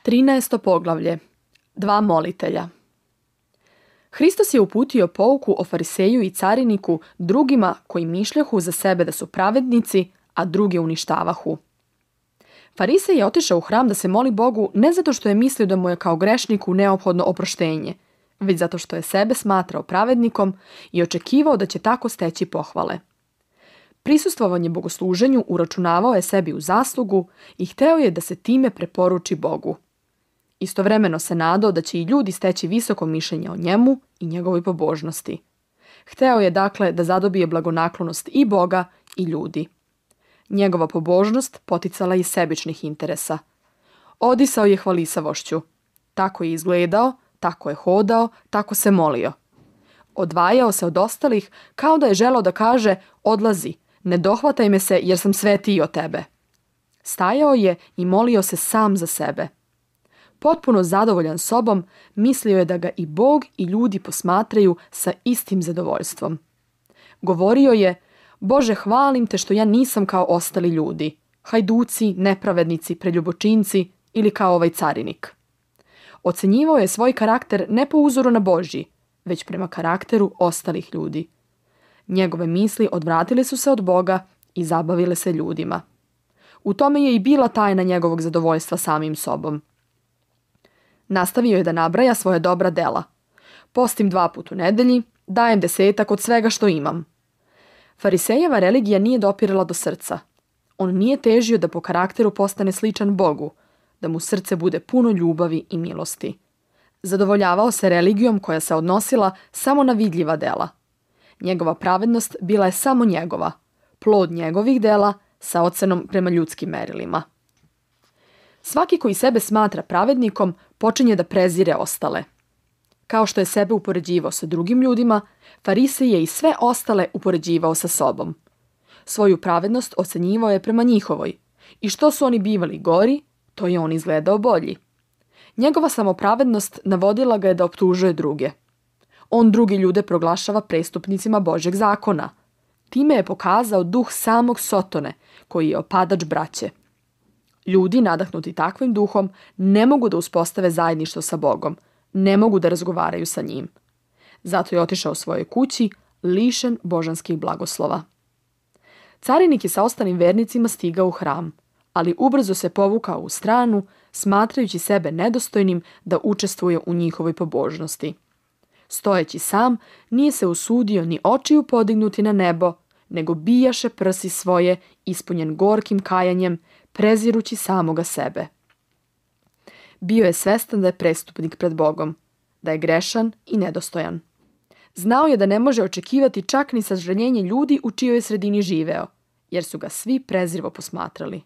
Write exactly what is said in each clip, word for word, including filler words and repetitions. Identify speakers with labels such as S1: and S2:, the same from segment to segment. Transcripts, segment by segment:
S1: Trinaesto poglavlje. Dva molitelja. Hristos je uputio pouku o fariseju i cariniku drugima koji mišljahu za sebe da su pravednici, a druge uništavahu. Farisej je otišao u hram da se moli Bogu ne zato što je mislio da mu je kao grešniku neophodno oproštenje, već zato što je sebe smatrao pravednikom i očekivao da će tako steći pohvale. Prisustvovanje bogosluženju uračunavao je sebi u zaslugu i hteo je da se time preporuči Bogu. Istovremeno se nadao da će i ljudi steći visoko mišljenje o njemu i njegovoj pobožnosti. Hteo je dakle da zadobije blagonaklonost i Boga i ljudi. Njegova pobožnost poticala je iz sebičnih interesa. Odisao je hvalisavošću. Tako je izgledao, tako je hodao, tako se molio. Odvajao se od ostalih kao da je želeo da kaže: odlazi, ne dohvataj me se jer sam svetiji od tebe. Stajao je i molio se sam za sebe. Potpuno zadovoljan sobom, mislio je da ga i Bog i ljudi posmatraju sa istim zadovoljstvom. Govorio je: Bože, hvalim te što ja nisam kao ostali ljudi, hajduci, nepravednici, preljubočinci ili kao ovaj carinik. Ocenjivao je svoj karakter ne po uzoru na Božji, već prema karakteru ostalih ljudi. Njegove misli odvratile su se od Boga i zabavile se ljudima. U tome je i bila tajna njegovog zadovoljstva samim sobom. Nastavio je da nabraja svoje dobra dela. Postim dva put u nedelji, dajem desetak od svega što imam. Farisejeva religija nije dopirala do srca. On nije težio da po karakteru postane sličan Bogu, da mu srce bude puno ljubavi i milosti. Zadovoljavao se religijom koja se odnosila samo na vidljiva dela. Njegova pravednost bila je samo njegova, plod njegovih dela sa ocenom prema ljudskim merilima. Svaki koji sebe smatra pravednikom počinje da prezire ostale. Kao što je sebe upoređivao sa drugim ljudima, Farisej je i sve ostale upoređivao sa sobom. Svoju pravednost ocenjivao je prema njihovoj, i što su oni bivali gori, to je on izgledao bolji. Njegova samopravednost navodila ga je da optužuje druge. On drugi ljude proglašava prestupnicima Božjeg zakona. Time je pokazao duh samog Sotone, koji je opadač braće. Ljudi nadahnuti takvim duhom ne mogu da uspostave zajedništvo sa Bogom, ne mogu da razgovaraju sa njim. Zato je otišao svojoj kući, lišen božanskih blagoslova. Carinik je sa ostalim vernicima stigao u hram, ali ubrzo se povukao u stranu, smatrajući sebe nedostojnim da učestvuje u njihovoj pobožnosti. Stojeći sam, nije se usudio ni očiju podignuti na nebo, nego bijaše prsi svoje, ispunjen gorkim kajanjem, prezirući samoga sebe. Bio je svestan da je prestupnik pred Bogom, da je grešan i nedostojan. Znao je da ne može očekivati čak ni sažaljenje ljudi u čijoj je sredini živeo, jer su ga svi prezrivo posmatrali.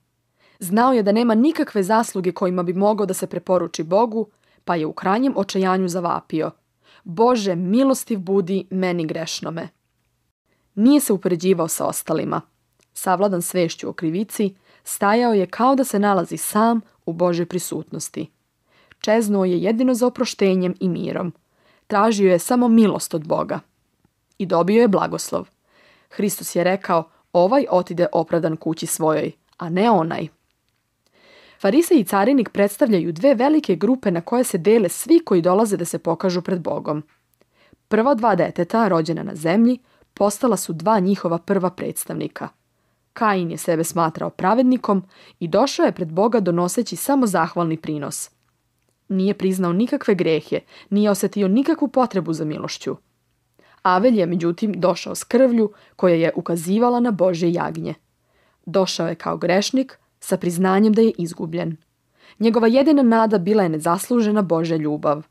S1: Znao je da nema nikakve zasluge kojima bi mogao da se preporuči Bogu, pa je u krajnjem očajanju zavapio: Bože, milostiv budi meni grešnome. Nije se upoređivao sa ostalima. Savladan svešću o krivici, stajao je kao da se nalazi sam u Božjoj prisutnosti. Čeznuo je jedino za oproštenjem i mirom. Tražio je samo milost od Boga. I dobio je blagoslov. Hristos je rekao: ovaj otide opravdan kući svojoj, a ne onaj. Farisej i carinik predstavljaju dve velike grupe na koje se dele svi koji dolaze da se pokažu pred Bogom. Prva dva deteta, rođena na zemlji, postala su dva njihova prva predstavnika. Kain je sebe smatrao pravednikom i došao je pred Boga donoseći samo zahvalni prinos. Nije priznao nikakve grehe, nije osetio nikakvu potrebu za milošću. Avelj je međutim došao s krvlju koja je ukazivala na Božje jagnje. Došao je kao grešnik sa priznanjem da je izgubljen. Njegova jedina nada bila je nezaslužena Božja ljubav.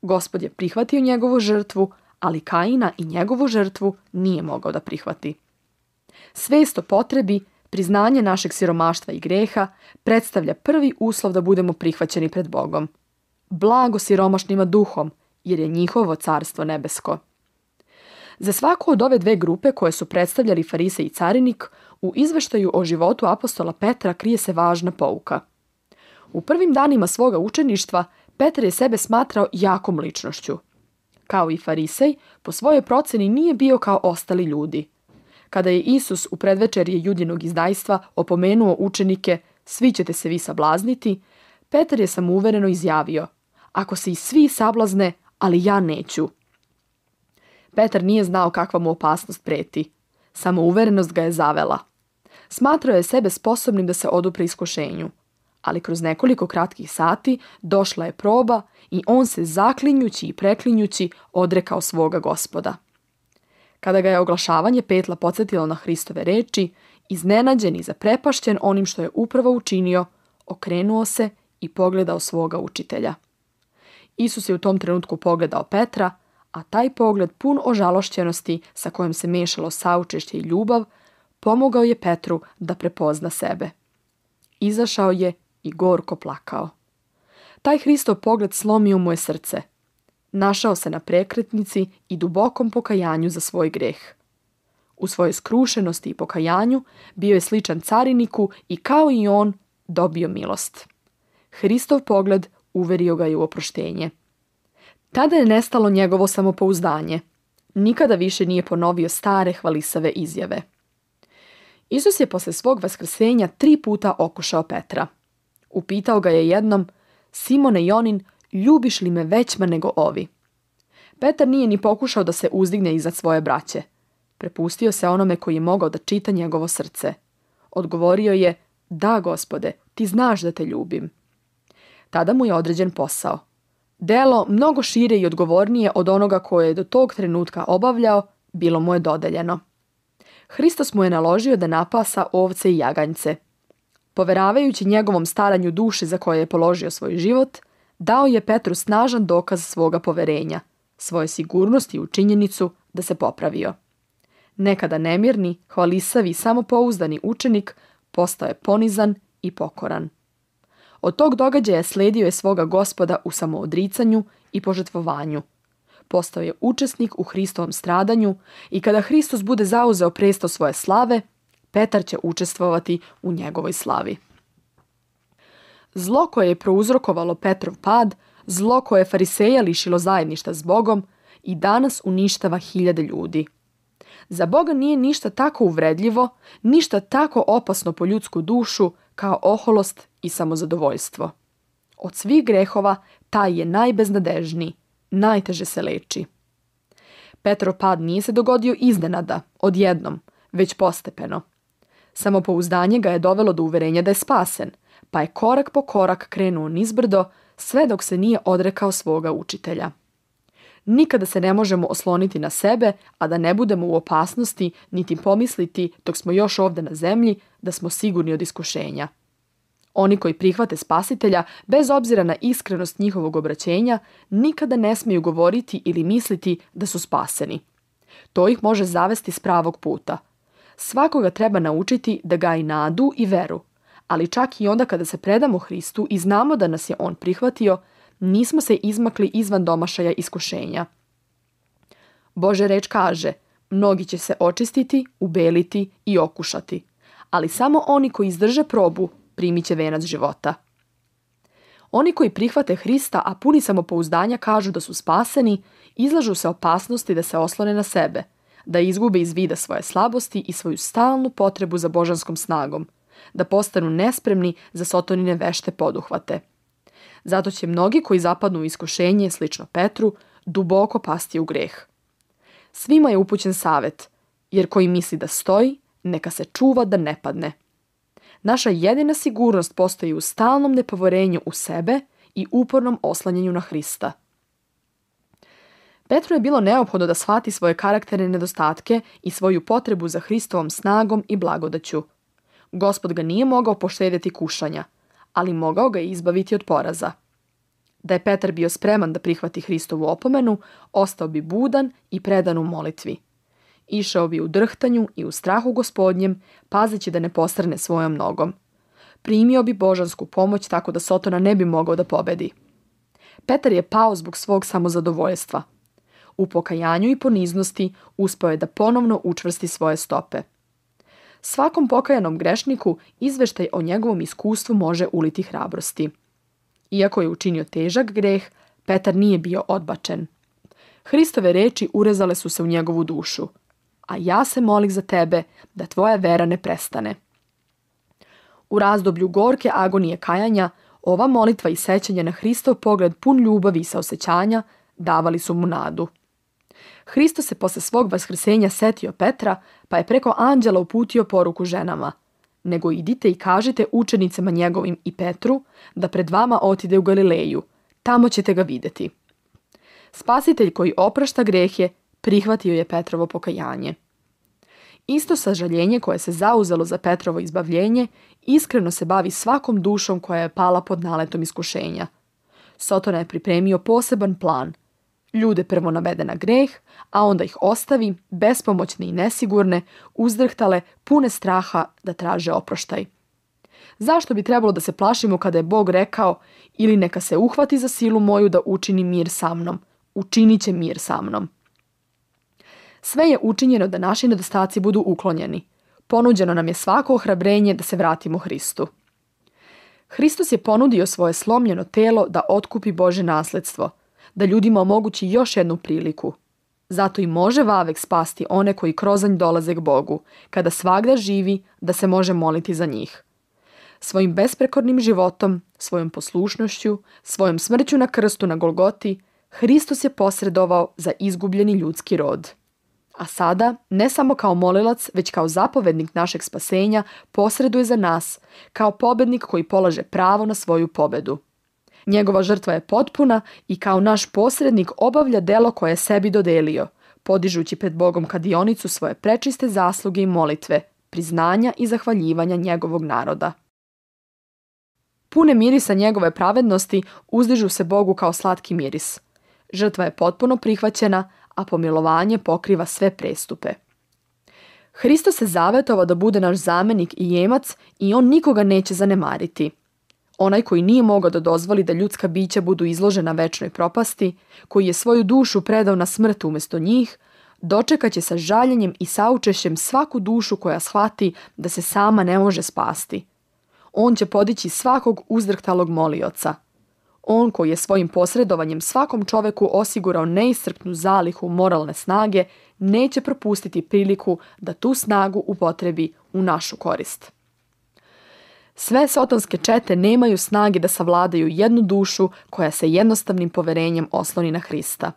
S1: Gospod je prihvatio njegovu žrtvu, ali Kaina i njegovu žrtvu nije mogao da prihvati. Svest o potrebi, priznanje našeg siromaštva i greha predstavlja prvi uslov da budemo prihvaćeni pred Bogom. Blago siromašnima duhom, jer je njihovo carstvo nebesko. Za svaku od ove dve grupe koje su predstavljali Farisej i carinik, u izveštaju o životu apostola Petra krije se važna pouka. U prvim danima svoga učeništva Petar je sebe smatrao jakom ličnošću. Kao i Farisej, po svojoj proceni nije bio kao ostali ljudi. Kada je Isus u predvečerje judinog izdajstva opomenuo učenike: svi ćete se vi sablazniti, Petar je samouvereno izjavio: ako se i svi sablazne, ali ja neću. Petar nije znao kakva mu opasnost preti. Samouverenost ga je zavela. Smatrao je sebe sposobnim da se odupre iskušenju. Ali kroz nekoliko kratkih sati došla je proba i on se zaklinjući i preklinjući odrekao svoga Gospoda. Kada ga je oglašavanje petla podsjetilo na Hristove reči, iznenađen i zaprepašćen onim što je upravo učinio, okrenuo se i pogledao svoga učitelja. Isus je u tom trenutku pogledao Petra, a taj pogled pun ožalošćenosti sa kojom se mešalo saučešće i ljubav, pomogao je Petru da prepozna sebe. Izašao je i gorko plakao. Taj Hristov pogled slomio mu je srce. Našao se na prekretnici i dubokom pokajanju za svoj greh. U svojoj skrušenosti i pokajanju bio je sličan cariniku i kao i on dobio milost. Hristov pogled uverio ga je u oproštenje. Tada je nestalo njegovo samopouzdanje. Nikada više nije ponovio stare hvalisave izjave. Isus je posle svog vaskrsenja tri puta okušao Petra. Upitao ga je jednom: Simone Jonin, ljubiš li me većma nego ovi? Petar nije ni pokušao da se uzdigne iznad svoje braće. Prepustio se onome koji je mogao da čita njegovo srce. Odgovorio je: da, Gospode, ti znaš da te ljubim. Tada mu je određen posao. Delo mnogo šire i odgovornije od onoga koje je do tog trenutka obavljao, bilo mu je dodeljeno. Hristos mu je naložio da napasa ovce i jaganjce. Poveravajući njegovom staranju duši za koje je položio svoj život, dao je Petru snažan dokaz svoga poverenja, svoje sigurnosti u činjenicu da se popravio. Nekada nemirni, hvalisavi i samopouzdani učenik postao je ponizan i pokoran. Od tog događaja sledio je svoga Gospoda u samoodricanju i požrtvovanju. Postao je učesnik u Hristovom stradanju i kada Hristos bude zauzeo presto svoje slave, Petar će učestvovati u njegovoj slavi. Zlo koje je prouzrokovalo Petrov pad, zlo koje je fariseja lišilo zajedništva s Bogom, i danas uništava hiljade ljudi. Za Boga nije ništa tako uvredljivo, ništa tako opasno po ljudsku dušu kao oholost i samozadovoljstvo. Od svih grehova taj je najbeznadežniji, najteže se leči. Petrov pad nije se dogodio iznenada, odjednom, već postepeno. Samopouzdanje ga je dovelo do uverenja da je spasen, pa je korak po korak krenuo nizbrdo, sve dok se nije odrekao svoga učitelja. Nikada se ne možemo osloniti na sebe, a da ne budemo u opasnosti niti pomisliti dok smo još ovdje na zemlji da smo sigurni od iskušenja. Oni koji prihvate Spasitelja, bez obzira na iskrenost njihovog obraćenja, nikada ne smiju govoriti ili misliti da su spaseni. To ih može zavesti s pravog puta. Svakoga treba naučiti da gaji nadu i veru, ali čak i onda kada se predamo Hristu i znamo da nas je On prihvatio, nismo se izmakli izvan domašaja iskušenja. Božja reč kaže: mnogi će se očistiti, ubeliti i okušati, ali samo oni koji izdrže probu primit će venac života. Oni koji prihvate Hrista, a puni samopouzdanja kažu da su spaseni, izlažu se opasnosti da se oslone na sebe, da izgube iz vida svoje slabosti i svoju stalnu potrebu za božanskom snagom, da postanu nespremni za sotonine vešte poduhvate. Zato će mnogi koji zapadnu u iskušenje, slično Petru, duboko pasti u greh. Svima je upućen savjet, jer koji misli da stoji, neka se čuva da ne padne. Naša jedina sigurnost postoji u stalnom nepoverenju u sebe i upornom oslanjanju na Hrista. Petru je bilo neophodno da shvati svoje karakterne nedostatke i svoju potrebu za Hristovom snagom i blagodaću. Gospod ga nije mogao poštedjeti kušanja, ali mogao ga je izbaviti od poraza. Da je Petar bio spreman da prihvati Hristovu opomenu, ostao bi budan i predan u molitvi. Išao bi u drhtanju i u strahu Gospodnjem, pazeći da ne postrne svojom nogom. Primio bi božansku pomoć tako da Sotona ne bi mogao da pobedi. Petar je pao zbog svog samozadovoljstva. U pokajanju i poniznosti uspeo je da ponovno učvrsti svoje stope. Svakom pokajanom grešniku izveštaj o njegovom iskustvu može uliti hrabrosti. Iako je učinio težak greh, Petar nije bio odbačen. Hristove reči urezale su se u njegovu dušu. A ja se molim za tebe da tvoja vera ne prestane. U razdoblju gorke agonije kajanja, Ova molitva i sećanje na Hristov pogled pun ljubavi i saosećanja davali su mu nadu. Hristos se posle svog vaskrsenja setio Petra, pa je preko anđela uputio poruku ženama: nego idite i kažite učenicama njegovim i Petru da pred vama otide u Galileju, tamo ćete ga vidjeti. Spasitelj koji oprašta grehe prihvatio je Petrovo pokajanje. Isto sažaljenje koje se zauzelo za Petrovo izbavljenje iskreno se bavi svakom dušom koja je pala pod naletom iskušenja. Sotona je pripremio poseban plan. Ljude prvo navede na greh, a onda ih ostavi, bespomoćne i nesigurne, uzdrhtale, pune straha da traže oproštaj. Zašto bi trebalo da se plašimo kada je Bog rekao: ili neka se uhvati za silu moju da učini mir sa mnom, učinit će mir sa mnom. Sve je učinjeno da naši nedostaci budu uklonjeni. Ponuđeno nam je svako ohrabrenje da se vratimo Hristu. Hristos je ponudio svoje slomljeno telo da otkupi Božje nasledstvo, da ljudima omogući još jednu priliku. Zato i može vavek spasti one koji krozanj dolaze k Bogu, kada svagda živi da se može moliti za njih. Svojim besprekornim životom, svojom poslušnošću, svojom smrću na krstu na Golgoti, Hristos je posredovao za izgubljeni ljudski rod. A sada, ne samo kao molilac, već kao zapovednik našeg spasenja, posreduje za nas, kao pobednik koji polaže pravo na svoju pobedu. Njegova žrtva je potpuna i kao naš posrednik obavlja delo koje je sebi dodelio, podižući pred Bogom kadionicu svoje prečiste zasluge i molitve, priznanja i zahvaljivanja njegovog naroda. Pune mirisa njegove pravednosti uzdižu se Bogu kao slatki miris. Žrtva je potpuno prihvaćena, a pomilovanje pokriva sve prestupe. Hristos se zavetovao da bude naš zamenik i jemac i on nikoga neće zanemariti. Onaj koji nije mogao da dozvoli da ljudska bića budu izložena večnoj propasti, koji je svoju dušu predao na smrt umjesto njih, dočekat će sa žaljenjem i saučešćem svaku dušu koja shvati da se sama ne može spasti. On će podići svakog uzdrhtalog molioca. On koji je svojim posredovanjem svakom čoveku osigurao neiscrpnu zalihu moralne snage, neće propustiti priliku da tu snagu upotrebi u našu korist. Sve sotonske čete nemaju snage da savladaju jednu dušu koja se jednostavnim poverenjem osloni na Hrista.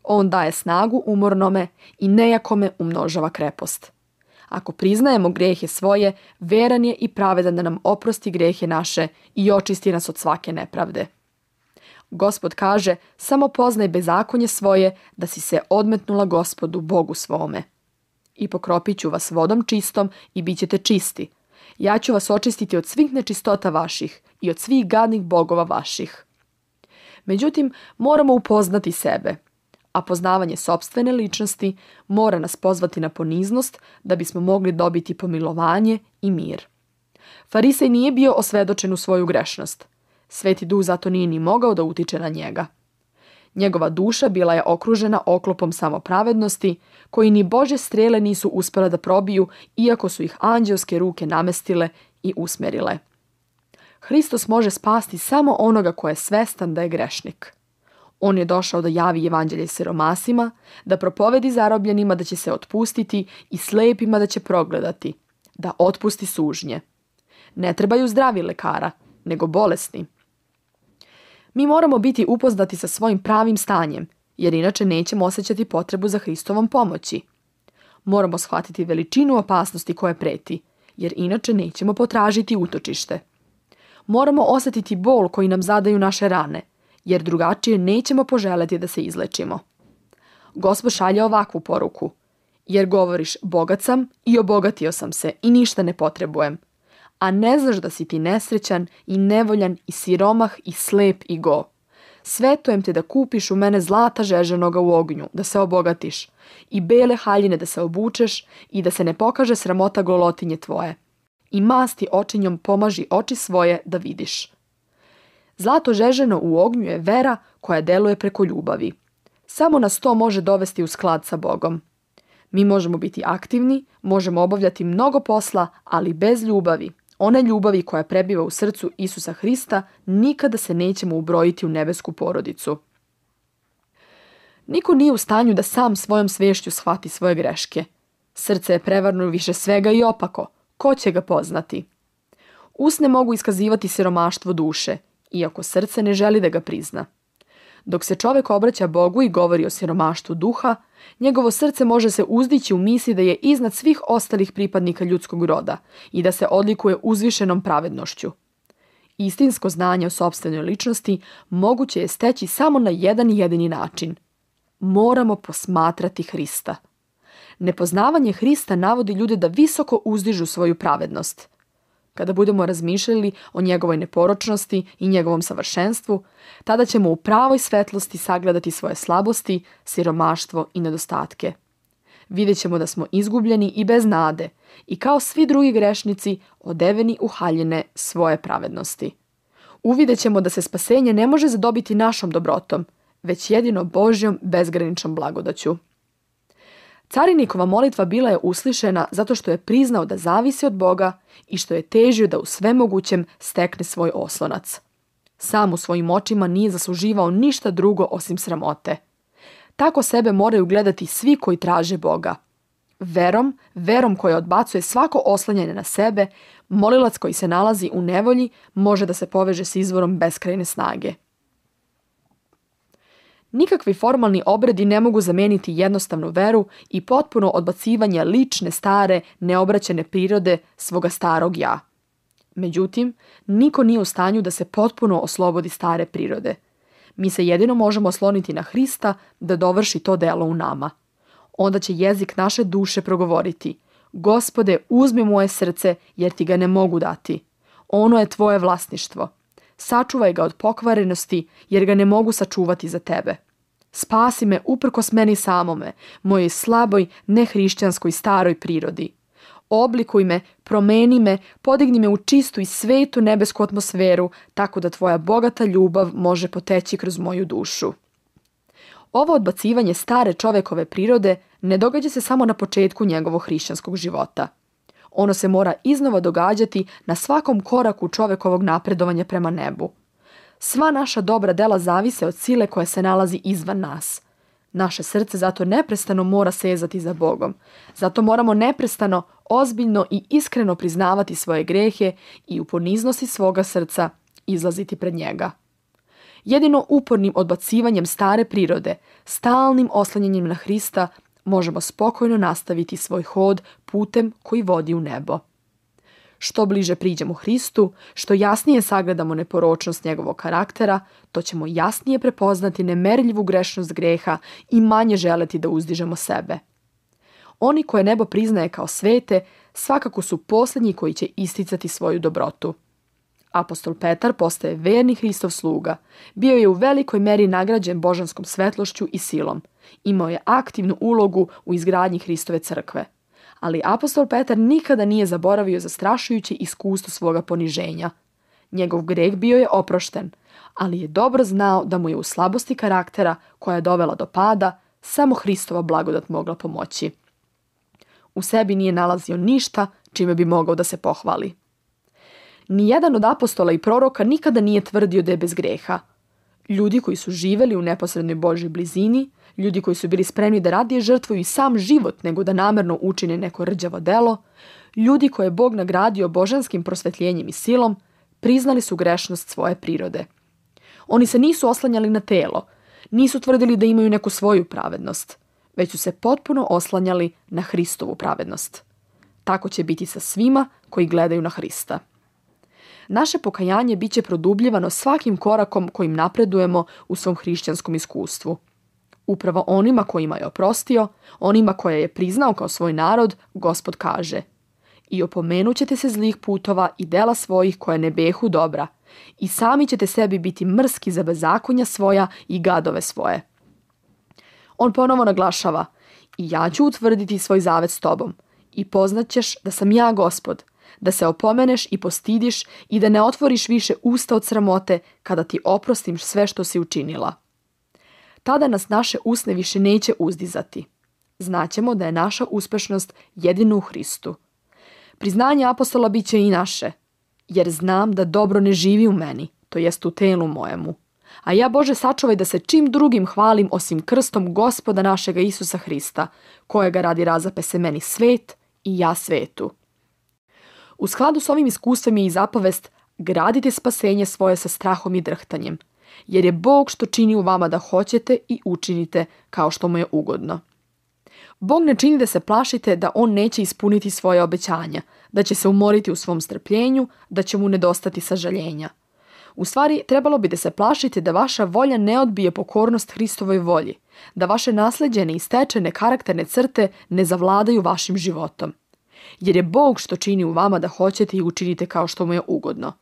S1: On daje snagu umornome i nejakome umnožava krepost. Ako priznajemo grehe svoje, veran je i pravedan da nam oprosti grehe naše i očisti nas od svake nepravde. Gospod kaže: samo poznaj bezakonje svoje, da si se odmetnula Gospodu Bogu svome. I pokropit ću vas vodom čistom i bit ćete čisti. Ja ću vas očistiti od svih nečistota vaših i od svih gadnih bogova vaših. Međutim, moramo upoznati sebe, a poznavanje sopstvene ličnosti mora nas pozvati na poniznost da bismo mogli dobiti pomilovanje i mir. Farisej nije bio osvedočen u svoju grešnost. Sveti Duh zato nije ni mogao da utiče na njega. Njegova duša bila je okružena oklopom samopravednosti, koji ni Božje strele nisu uspjele da probiju, iako su ih anđelske ruke namestile i usmjerile. Hristos može spasti samo onoga ko je svestan da je grešnik. On je došao da javi evanđelje siromasima, da propovedi zarobljenima da će se otpustiti i slepima da će progledati, da otpusti sužnje. Ne trebaju zdravi lekara, nego bolesni. Mi moramo biti upoznati sa svojim pravim stanjem, jer inače nećemo osjećati potrebu za Hristovom pomoći. Moramo shvatiti veličinu opasnosti koje preti, jer inače nećemo potražiti utočište. Moramo osjetiti bol koji nam zadaju naše rane, jer drugačije nećemo poželeti da se izlečimo. Gospod šalje ovakvu poruku: jer govoriš bogat sam i obogatio sam se i ništa ne potrebujem, a ne znaš da si ti nesrećan i nevoljan i siromah i slep i go. Svetujem te da kupiš u mene zlata žeženoga u ognju, da se obogatiš, i bele haljine da se obučeš i da se ne pokaže sramota golotinje tvoje. I masti očinjom pomaži oči svoje da vidiš. Zlato žeženo u ognju je vera koja deluje preko ljubavi. Samo nas to može dovesti u sklad sa Bogom. Mi možemo biti aktivni, možemo obavljati mnogo posla, ali bez ljubavi, one ljubavi koja prebiva u srcu Isusa Hrista, nikada se nećemo ubrojiti u nebesku porodicu. Niko nije u stanju da sam svojom svešću shvati svoje greške. Srce je prevarno više svega i opako. Ko će ga poznati? Usne mogu iskazivati siromaštvo duše iako srce ne želi da ga prizna. Dok se čovjek obraća Bogu i govori o siromaštvu duha, njegovo srce može se uzdići u misli da je iznad svih ostalih pripadnika ljudskog roda i da se odlikuje uzvišenom pravednošću. Istinsko znanje o sopstvenoj ličnosti moguće je steći samo na jedan jedini način. Moramo posmatrati Hrista. Nepoznavanje Hrista navodi ljude da visoko uzdižu svoju pravednost. Kada budemo razmišljali o njegovoj neporočnosti i njegovom savršenstvu, tada ćemo u pravoj svetlosti sagledati svoje slabosti, siromaštvo i nedostatke. Vidjet ćemo da smo izgubljeni i bez nade i kao svi drugi grešnici odeveni u haljine svoje pravednosti. Uvidjet ćemo da se spasenje ne može zadobiti našom dobrotom, već jedino Božjom bezgraničnom blagodaću. Carinikova molitva bila je uslišena zato što je priznao da zavisi od Boga i što je težio da u svemogućem stekne svoj oslonac. Sam u svojim očima nije zasluživao ništa drugo osim sramote. Tako sebe moraju gledati svi koji traže Boga. Verom, verom koja odbacuje svako oslanjanje na sebe, molilac koji se nalazi u nevolji može da se poveže s izvorom beskrajne snage. Nikakvi formalni obredi ne mogu zameniti jednostavnu veru i potpuno odbacivanje lične, stare, neobraćene prirode svoga starog ja. Međutim, niko nije u stanju da se potpuno oslobodi stare prirode. Mi se jedino možemo osloniti na Hrista da dovrši to delo u nama. Onda će jezik naše duše progovoriti: Gospode, uzmi moje srce jer ti ga ne mogu dati. Ono je tvoje vlasništvo. Sačuvaj ga od pokvarenosti jer ga ne mogu sačuvati za tebe. Spasi me uprkos meni samome, mojoj slaboj, nehrišćanskoj staroj prirodi. Oblikuj me, promeni me, podigni me u čistu i svetu nebesku atmosferu, tako da tvoja bogata ljubav može poteći kroz moju dušu. Ovo odbacivanje stare čovekove prirode ne događa se samo na početku njegovog hrišćanskog života. Ono se mora iznova događati na svakom koraku čovekovog napredovanja prema nebu. Sva naša dobra dela zavise od sile koja se nalazi izvan nas. Naše srce zato neprestano mora sezati za Bogom. Zato moramo neprestano, ozbiljno i iskreno priznavati svoje grehe i u poniznosti svoga srca izlaziti pred njega. Jedino upornim odbacivanjem stare prirode, stalnim oslanjanjem na Hrista, možemo spokojno nastaviti svoj hod putem koji vodi u nebo. Što bliže priđemo Hristu, što jasnije sagledamo neporočnost njegovog karaktera, to ćemo jasnije prepoznati nemerljivu grešnost greha i manje želeti da uzdižemo sebe. Oni koje nebo priznaje kao svete, svakako su posljednji koji će isticati svoju dobrotu. Apostol Petar postaje verni Hristov sluga. Bio je u velikoj meri nagrađen božanskom svetlošću i silom. Imao je aktivnu ulogu u izgradnji Hristove crkve. Ali apostol Petar nikada nije zaboravio zastrašujuće iskustvo svoga poniženja. Njegov greh bio je oprošten, ali je dobro znao da mu je u slabosti karaktera koja je dovela do pada samo Hristova blagodat mogla pomoći. U sebi nije nalazio ništa čime bi mogao da se pohvali. Nijedan od apostola i proroka nikada nije tvrdio da je bez greha. Ljudi koji su živeli u neposrednoj Božjoj blizini, ljudi koji su bili spremni da radije žrtvuju i sam život nego da namerno učine neko rđavo delo, ljudi koje je Bog nagradio božanskim prosvetljenjem i silom, priznali su grešnost svoje prirode. Oni se nisu oslanjali na telo, nisu tvrdili da imaju neku svoju pravednost, već su se potpuno oslanjali na Hristovu pravednost. Tako će biti sa svima koji gledaju na Hrista. Naše pokajanje bit će produbljivano svakim korakom kojim napredujemo u svom hrišćanskom iskustvu. Upravo onima kojima je oprostio, onima koje je priznao kao svoj narod, Gospod kaže: I opomenut ćete se zlih putova i dela svojih koje ne behu dobra, i sami ćete sebi biti mrski za bezakonja svoja i gadove svoje. On ponovo naglašava: I ja ću utvrditi svoj zavet s tobom, i poznaćeš da sam ja Gospod, da se opomeneš i postidiš i da ne otvoriš više usta od sramote kada ti oprostim sve što si učinila. Tada nas naše usne više neće uzdizati. Znaćemo da je naša uspešnost jedino u Hristu. Priznanje apostola bit će i naše, jer znam da dobro ne živi u meni, to jest u telu mojemu. A ja, Bože, sačuvaj da se čim drugim hvalim osim krstom Gospoda našega Isusa Hrista, kojega radi razape se meni svet i ja svetu. U skladu s ovim iskustvom je i zapovest: Gradite spasenje svoje sa strahom i drhtanjem, jer je Bog što čini u vama da hoćete i učinite kao što mu je ugodno. Bog ne čini da se plašite da on neće ispuniti svoje obećanja, da će se umoriti u svom strpljenju, da će mu nedostati sažaljenja. U stvari, trebalo bi da se plašite da vaša volja ne odbije pokornost Hristovoj volji, da vaše nasleđene i stečene karakterne crte ne zavladaju vašim životom. Jer je Bog što čini u vama da hoćete i učinite kao što mu je ugodno.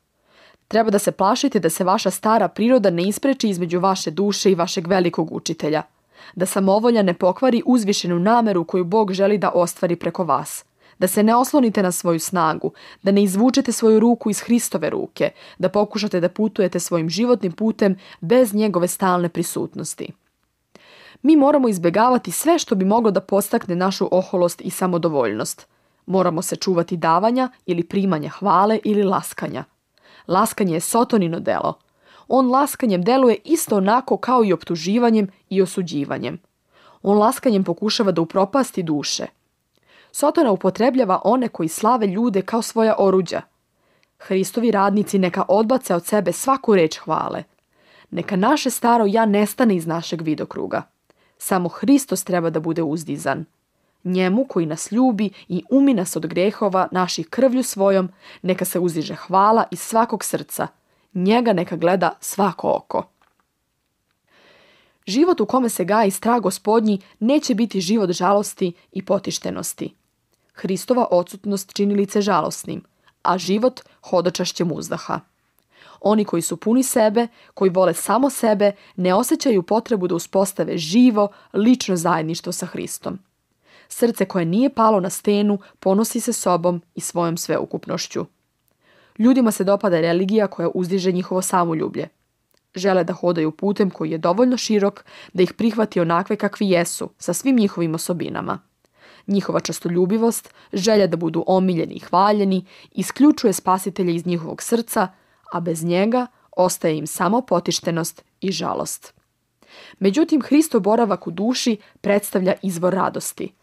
S1: Treba da se plašite da se vaša stara priroda ne ispreči između vaše duše i vašeg velikog učitelja, da samovolja ne pokvari uzvišenu nameru koju Bog želi da ostvari preko vas, da se ne oslonite na svoju snagu, da ne izvučete svoju ruku iz Hristove ruke, da pokušate da putujete svojim životnim putem bez njegove stalne prisutnosti. Mi moramo izbjegavati sve što bi moglo da podstakne našu oholost i samodovoljnost. Moramo se čuvati davanja ili primanja hvale ili laskanja. Laskanje je Sotonino delo. On laskanjem deluje isto onako kao i optuživanjem i osuđivanjem. On laskanjem pokušava da upropasti duše. Sotona upotrebljava one koji slave ljude kao svoja oruđa. Hristovi radnici neka odbace od sebe svaku reč hvale. Neka naše staro ja nestane iz našeg vidokruga. Samo Hristos treba da bude uzdizan. Njemu koji nas ljubi i umi nas od grehova naših krvlju svojom, neka se uzdiže hvala iz svakog srca. Njega neka gleda svako oko. Život u kome se gaji strah Gospodnji neće biti život žalosti i potištenosti. Hristova odsutnost čini lice žalosnim, a život hodočašćem uzdaha. Oni koji su puni sebe, koji vole samo sebe, ne osjećaju potrebu da uspostave živo, lično zajedništvo sa Hristom. Srce koje nije palo na stenu ponosi se sobom i svojom sveukupnošću. Ljudima se dopada religija koja uzdiže njihovo samoljublje. Žele da hodaju putem koji je dovoljno širok da ih prihvati onakve kakvi jesu, sa svim njihovim osobinama. Njihova častoljubivost, želja da budu omiljeni i hvaljeni, isključuje spasitelja iz njihovog srca, a bez njega ostaje im samo potištenost i žalost. Međutim, Hristov boravak u duši predstavlja izvor radosti.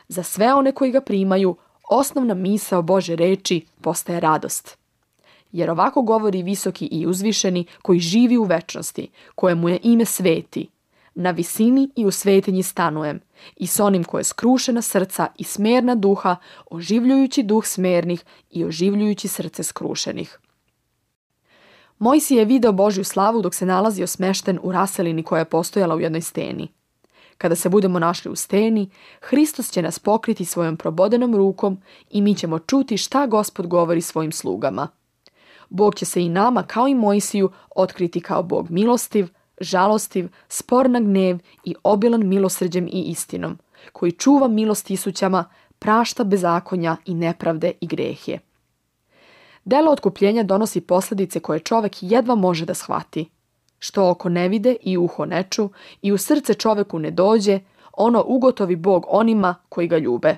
S1: Za sve one koji ga primaju, osnovna misao Božje reči postaje radost. Jer ovako govori visoki i uzvišeni koji živi u večnosti, kojemu je ime sveti. Na visini i u svetinji stanujem, i s onim koje skrušena srca i smerna duha, oživljujući duh smernih i oživljujući srce skrušenih. Mojsije je video Božju slavu dok se nalazio smešten u raselini koja je postojala u jednoj steni. Kada se budemo našli u steni, Hristos će nas pokriti svojom probodenom rukom i mi ćemo čuti šta Gospod govori svojim slugama. Bog će se i nama, kao i Mojsiju, otkriti kao Bog milostiv, žalostiv, spor na gnev i obilan milosrđem i istinom, koji čuva milost tisućama, prašta bezakonja i nepravde i grehje. Delo otkupljenja donosi posljedice koje čovek jedva može da shvati. Što oko ne vide i uho ne ču i u srce čoveku ne dođe, ono ugotovi Bog onima koji ga ljube.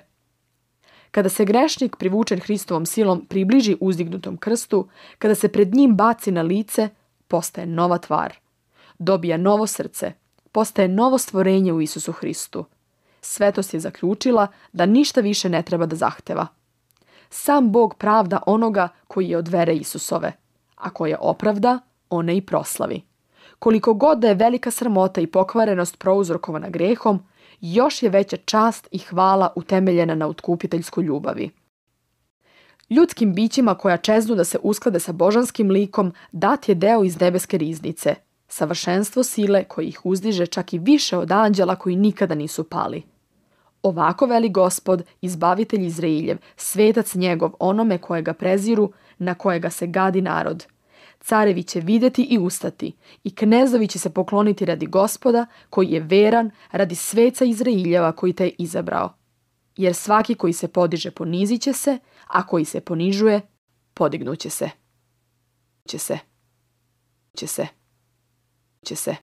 S1: Kada se grešnik privučen Hristovom silom približi uzdignutom krstu, kada se pred njim baci na lice, postaje nova tvar. Dobija novo srce, postaje novo stvorenje u Isusu Hristu. Svetost je zaključila da ništa više ne treba da zahteva. Sam Bog pravda onoga koji je od vere Isusove, a koje opravda, one i proslavi. Koliko god da je velika sramota i pokvarenost prouzrokovana grehom, još je veća čast i hvala utemeljena na otkupiteljskoj ljubavi. Ljudskim bićima koja čeznu da se usklade sa božanskim likom dat je deo iz nebeske riznice, savršenstvo sile koji ih uzdiže čak i više od anđela koji nikada nisu pali. Ovako veli Gospod, izbavitelj Izrailjev, svetac njegov onome kojega preziru, na kojega se gadi narod. Carevi će vidjeti i ustati, i knezovi će se pokloniti radi Gospoda, koji je veran, radi sveca Izrailjeva koji te je izabrao. Jer svaki koji se podiže ponizit će se, a koji se ponižuje, podignuće se. Će se. Će se. Će se.